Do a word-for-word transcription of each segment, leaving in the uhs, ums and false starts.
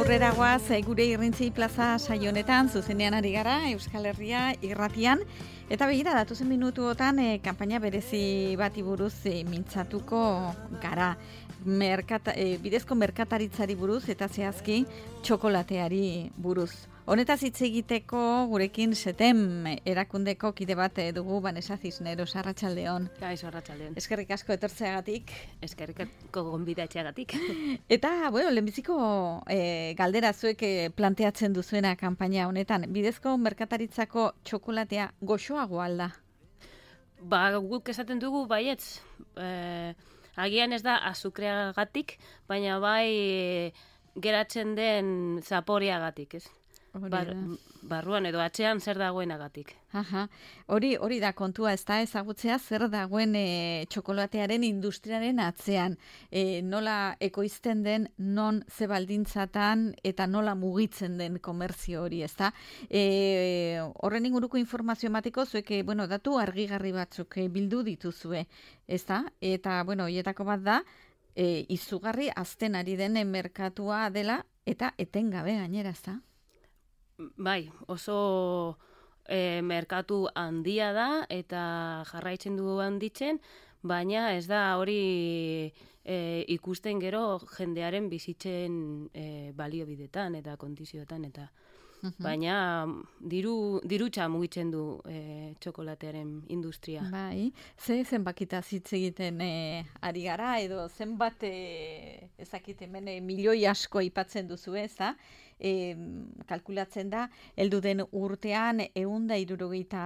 aurrera guaz, gure irrintzi plaza saionetan, zuzenean ari gara, Euskal Herria irratian, eta begira, datuzen minutuotan, e, kanpaina berezi bati buruz e, mintzatuko gara. Merkata, e, bidezko merkataritzari buruz eta zehazki txokolateari buruz. Honetaz hitz egiteko gurekin setem erakundeko kide bat dugu, Vanessa Cisneros, arratsaldeon. Kaixo, arratsaldeon. Eskerrik asko etortzeagatik. Eskerrik asko gonbidatzeagatik. Eta, bueno, lehenbiziko e, galdera zuek e, planteatzen duzuena kanpaina honetan, bidezko merkataritzako txokolatea goxoagoa alda? Ba, guk esaten dugu baietz. E, agian ez da azukreagatik, baina bai e, geratzen den zaporeagatik, ez? Bar, barruan edo atzean zer dagoenagatik. Aha. Hori hori da kontua, ez da ezagutzea zer dagoen e, txokolatearen industriaren atzean. E, nola ekoizten den, non ze baldintzatan eta nola mugitzen den komerzio hori, ez da. E, horren inguruko informazio emateko zuek, bueno, datu argigarri batzuk e, bildu dituzue, ez da. Eta, bueno, hietako bat da, e, izugarri azten ari den merkatua dela eta etengabe gainera, ez da. Bai, oso e, merkatu handia da eta jarraitzen du handitzen, baina ez da hori e, ikusten gero jendearen bizitzen e, baliobidetan eta kondizioetan eta baina diru dirutza mugitzen du e, txokolatearen industria. Bai, ze zenbakita hitz egiten e, ari gara edo zenbat e, ezakit hemen e, milioi asko aipatzen duzu, ez da? E, kalkulatzen da, heldu den urtean ehun eta hirurogeita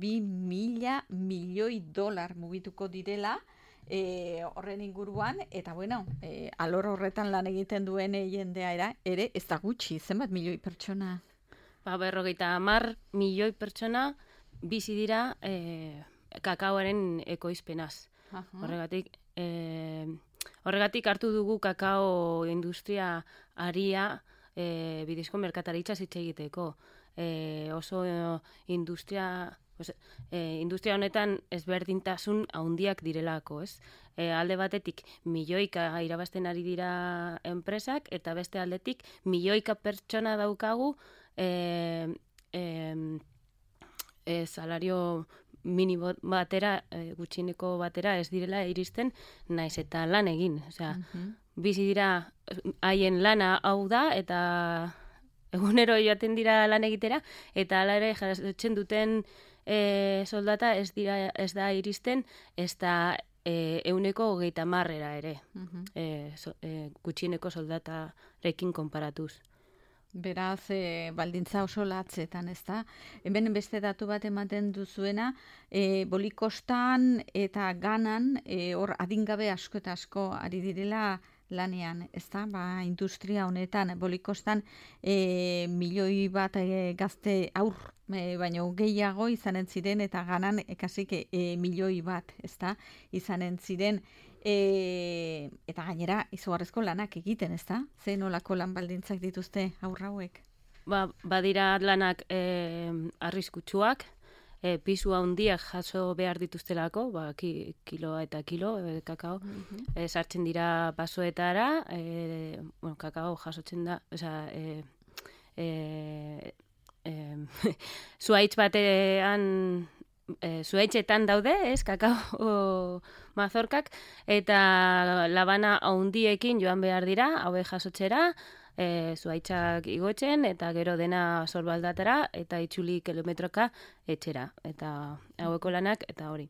bi mila milioi dolar mugituko direla e, horren inguruan, eta bueno, e, alor horretan lan egiten duen e, jendea era, ere ez da gutxi, zenbat milioi pertsona? Ba, berrogeita hamar milioi pertsona bizi dira e, kakaoaren ekoizpenaz. Uh-huh. Horregatik, e, horregatik hartu dugu kakao industria aria E, bidezko merkataritza hitz egiteko. E, oso e, industria e, industria honetan ezberdintasun handiak direlako, ez? E, alde batetik milioika irabazten ari dira enpresak eta beste aldetik milioika pertsona daukagu e, e, e, salario minimo batera, e, gutxineko batera ez direla iristen naiz eta lan egin. Osea, uh-huh. Bizi dira haien lana hau da eta egunero joaten dira lan egitera eta hala ere jasotzen duten e, soldata ez dira ez da iristen ez da e, ehuneko hogeita hamarera ere. Uh-huh. e, so, e, gutxieneko soldatarekin konparatuz. Beraz, e, baldintza oso latzetan, ez da? Hemen beste datu bat ematen duzuena, e, bolikostan eta ganan, e, hor adingabe asko eta asko ari direla lanean, ez da? Ba, industria honetan, bolikostan e, milioi bat e, gazte aur, e, baino gehiago izanen ziren, eta ganan ekasik e, milioi bat, ez da? Izanen ziren, E, eta gainera izugarrizko lanak egiten, ez da? Ze nolako lan baldintzak dituzte aurra hauek? Ba, badira lanak e, arriskutsuak, e, pisu handiak jaso behar dituztelako, ba, ki, kiloa eta kilo e, kakao, uh-huh. e, sartzen dira basoetara, e, bueno, kakao jasotzen da, oza, e, e, e, zuaitz batean E, zuaitzetan daude, ez, kakao mazorkak, eta labana handiekin joan behar dira, haue jasotzera, e, zuaitzak igotzen, eta gero dena sorbaldatara, eta itzuli kilometroka etxera. Eta haueko lanak, eta hori,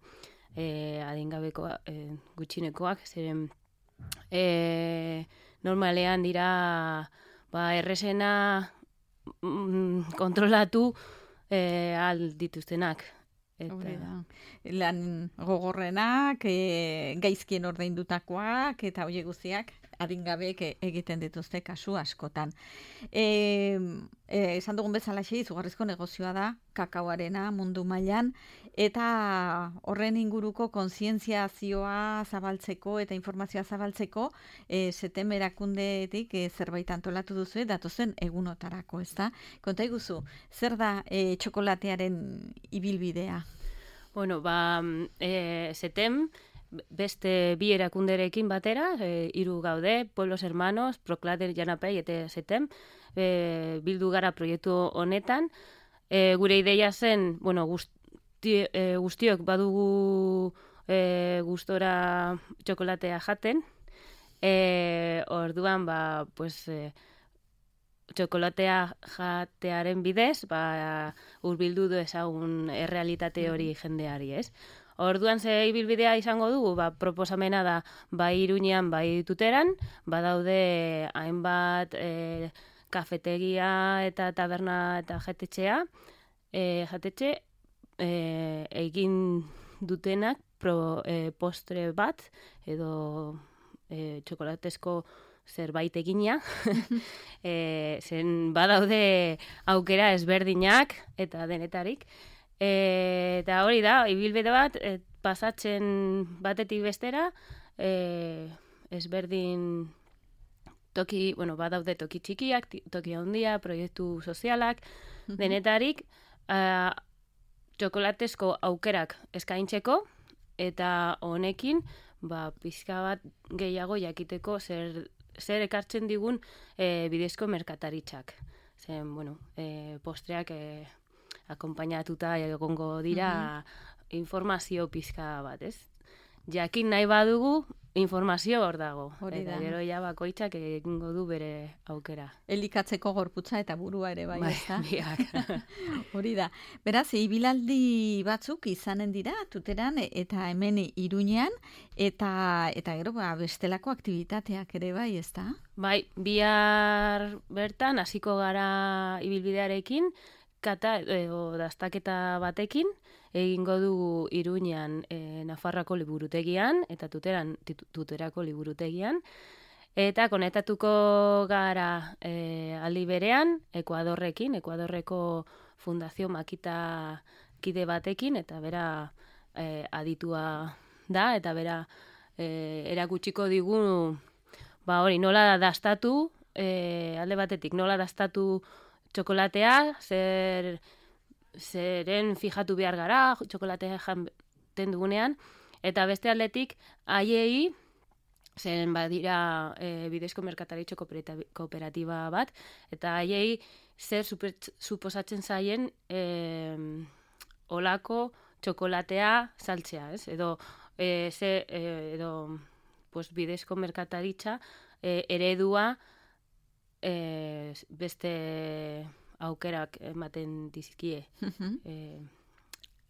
e, adingabeko e, gutxinekoak, zeren e, normalean dira ba, errezena mm, kontrolatu e, al dituztenak. Eta lan gogorrenak, e, gaizkien ordaindutakoak eta hoe guztiak adingabeek egiten dituzte kasu askotan. E, e, esan dugun bezalaxe izugarrizko negozioa da kakaoarena mundu mailan eta horren inguruko kontzientziazioa zabaltzeko eta informazioa zabaltzeko e, setem erakundetik e, zerbait antolatu duzu datozen egunotarako, ezta? Konta iguzu, zer da e, txokolatearen ibilbidea? Bueno, ba, e, setem beste bi erakunderekin batera, e, hiru gaude, Pueblos Hermanos, Proclater Janapei eta Zetem, e, bildu gara proiektu honetan. E, gure ideia zen, bueno, guzti, e, guztiok badugu e, gustora txokolatea jaten, e, orduan, ba, pues, e, txokolatea jatearen bidez, ba, urbildu du ezagun errealitate hori jendeari, ez? Orduan ze ibilbidea izango dugu, ba, proposamena da bai Iruñean, bai Tuteran, badaude hainbat e, kafetegia eta taberna eta jatetxea, e, jatetxe e, egin dutenak pro, e, postre bat edo e, txokolatezko zerbait egina, e, zen badaude aukera ezberdinak eta denetarik. E, eta hori da, ibilbide bat, e, pasatzen batetik bestera, e, ezberdin toki, bueno, badaude toki txikiak, toki handia, proiektu sozialak, denetarik, a, txokolatezko aukerak eskaintzeko, eta honekin, ba, pizka bat gehiago jakiteko zer zer ekartzen digun e, bidezko merkataritzak. Zen, bueno, e, postreak e, akompainatuta egongo dira mm-hmm. informazio pizka bat, ez? Jakin nahi badugu, informazio hor dago. Hori da. Eta gero ja bakoitzak egingo du bere aukera. Elikatzeko gorputza eta burua ere bai, ez da? Biak. Hori da. Beraz, ibilaldi batzuk izanen dira, Tuteran eta hemen Iruñean, eta eta gero ba, bestelako aktivitateak ere bai, ez da? Bai, bihar bertan hasiko gara ibilbidearekin, kata edo dastaketa batekin, egingo dugu Iruñean e, Nafarroako liburutegian, eta Tuteran Tuterako liburutegian, eta konektatuko gara e, aldi berean, Ekuadorrekin, Ekuadorreko Fundazio Makita kide batekin, eta bera e, aditua da, eta bera e, erakutsiko digu, ba hori, nola dastatu, e, alde batetik, nola dastatu txokolatea, zer... zeren fijatu behar gara, txokolatea janten dugunean, eta beste aldetik, haiei, zeren badira e, bidezko merkataritxo kooperatiba bat, eta haiei zer super, suposatzen zaien e, olako txokolatea saltzea, ez? Edo, e, ze, e, edo pues, bidezko merkataritza e, eredua e, beste... aukerak ematen dizkie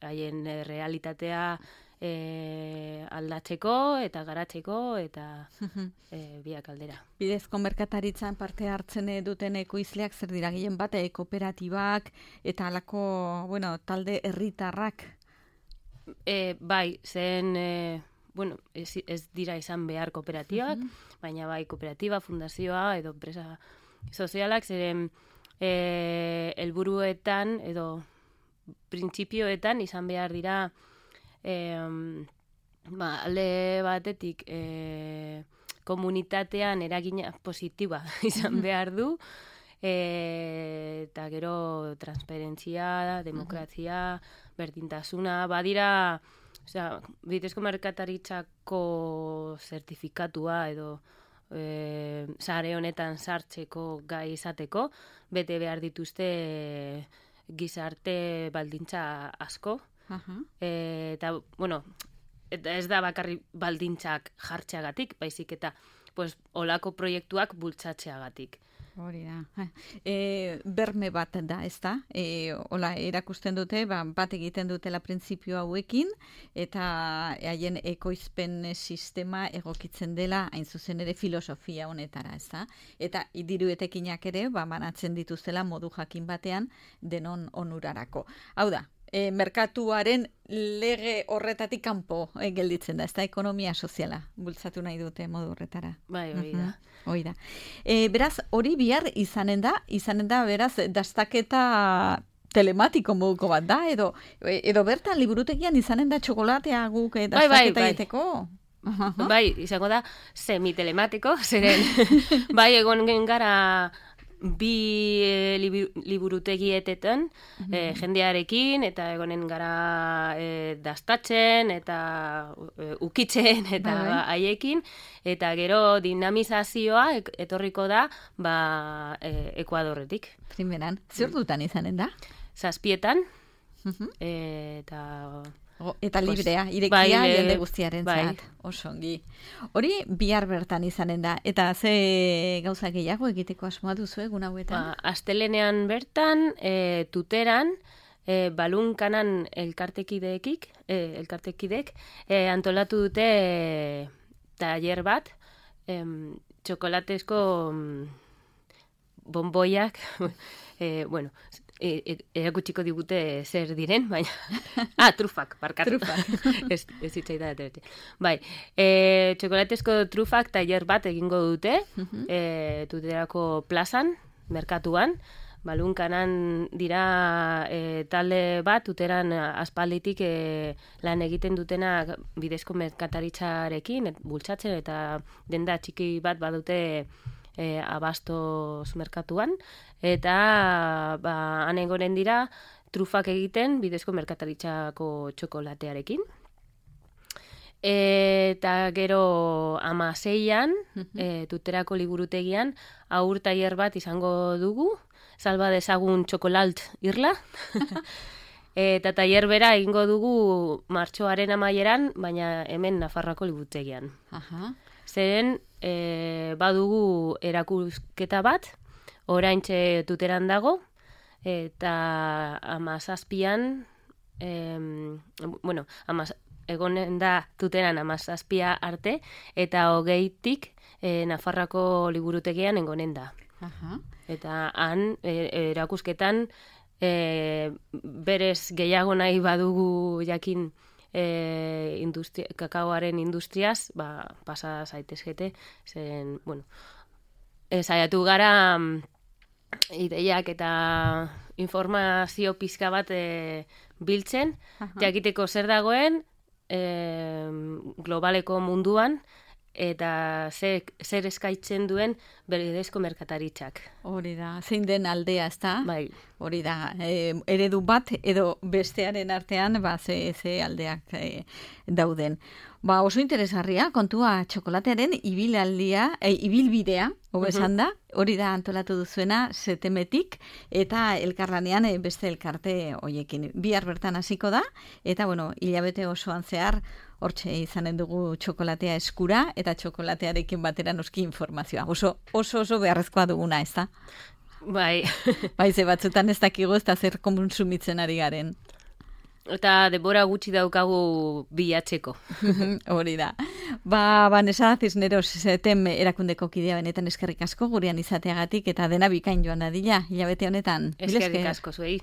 haien uh-huh. e, realitatea e, aldatzeko eta garatzeko eta uh-huh. e, biak aldera. Bidezko merkataritzan parte hartzen duten ekoizleak zer dira gehien bat, e, kooperatibak eta halako, bueno, talde herritarrak? E, bai, zen e, bueno, ez, ez dira izan behar kooperatibak, uh-huh. baina bai kooperatiba, fundazioa edo enpresa sozialak zeren E, helburuetan edo printzipioetan izan behar dira e, ba, alde batetik e, komunitatean eragina positiba izan behar du e, eta gero transparentzia, demokrazia, berdintasuna, badira osea, bidezko merkataritzako zertifikatua edo E, sare honetan sartzeko gai izateko, bete behar dituzte e, gizarte baldintza asko. Uh-huh. E, eta, bueno, eta ez da bakarri baldintzak jartzeagatik, baizik eta pues, olako proiektuak bultzatzeagatik. Hori da. E, berme bat da, ez da? E, hola, erakusten dute, ba, bat egiten dutela printzipio hauekin, eta haien ekoizpen sistema egokitzen dela, hain zuzen ere filosofia honetara, ez da? Eta diruetekinak ere, ba, banatzen dituztela modu jakin batean denon onurarako. Hau da, e, merkatuaren lege horretatik kanpo e, gelditzen da, ez da ekonomia soziala bultzatu nahi dute modu horretara. Bai, hori da. Uh-huh. Hori da. E, beraz, hori bihar izanen da, izanen da, beraz, dastaketa telematiko moduko bat da, edo, edo bertan liburutegian izanen da txokolatea guk e, dastaketa egiteko? Bai, bai, bai. Bai, izango da semi-telematiko, zeren, bai, egon gara bi e, liburutegietetan Mhm. e, jendearekin, eta egonen gara e, dastatzen, eta e, ukitzen, eta Bai, bai. ba, haiekin, eta gero dinamizazioa ek- etorriko da ba, e, Ekuadorretik. Primeran, zer dutan izanen da? Zazpietan, Mhm. e, eta... O, eta Pues, librea, irekia bai, le- jende guztiaren bai. zat. Oso ongi. Hori bihar bertan izanen da. Eta ze gauza gehiago egiteko asmoa duzu egun hauetan? Ba, astelenean bertan, e, tuteran, e, balunkanan elkartekideekik, e, elkartekidek, e, antolatu dute e, taller bat, em, txokolatezko mm, bonboiak, e, bueno, e, e, erakutsiko digute zer diren, baina... ah, trufak, barkatu. Trufak. ez, ez hitzaida ateratzen. Bai, e, txokolatezko trufak taller bat egingo dute, Mhm. e, tuterako plazan, merkatuan, balunkanan dira e, talde bat, tuteran aspalditik e, lan egiten dutenak bidezko merkataritzarekin, et, bultzatzen, eta denda txiki bat badute e, abastos merkatuan, eta ba, han egonen dira trufak egiten bidezko merkataritzako txokolatearekin. Eta gero amaseian, e, tuterako liburutegian, aur tailer bat izango dugu, salba dezagun txokolalt irla. Eta tailer bera egingo dugu martxoaren amaieran, baina hemen Nafarroako liburutegian. Aha. Zeren e, badugu erakusketa bat, oraintxe tuteran dago, eta amazazpian, em, bueno, amaz, egonen da tuteran amazazpia arte, eta hogeitik e, Nafarroako liburutegian egonen da. Aha. Eta han, e, erakusketan, e, berez gehiago nahi badugu jakin e, industria, kakaoaren industriaz, ba, pasa zaitezkete, zen, bueno, e, saiatu gara mm, ideiak eta informazio pizka bat e, biltzen, Aha. jakiteko zer dagoen e, globaleko munduan, eta zer, zer eskaitzen duen berdezko merkataritzak. Hori da, zein den aldea, ezta? Bai, Hori da, e, eredu bat edo bestearen artean ba, ze, ze aldeak e, dauden. Ba, oso interesgarria, kontua txokolatearen ibilaldia, e, ibilbidea, hobesan da, hori da antolatu duzuena setemetik, eta elkarlanean e, beste elkarte hoiekin. Bihar bertan hasiko da, eta bueno, hilabete osoan zehar, hortxe izanen dugu txokolatea eskura, eta txokolatearekin batera noski informazioa. Oso, oso, oso beharrezkoa duguna, ez da? bai. Baize batzutan ez dakigu ez da zer konsumitzen ari garen. Eta denbora gutxi daukagu bilatzeko. Hori da. Ba, Vanessa Cisneros setem erakundeko kidea benetan eskerrik asko gurean izateagatik eta dena bikain joan dadila hilabete honetan. Mila Eskerrik esker. asko zuei.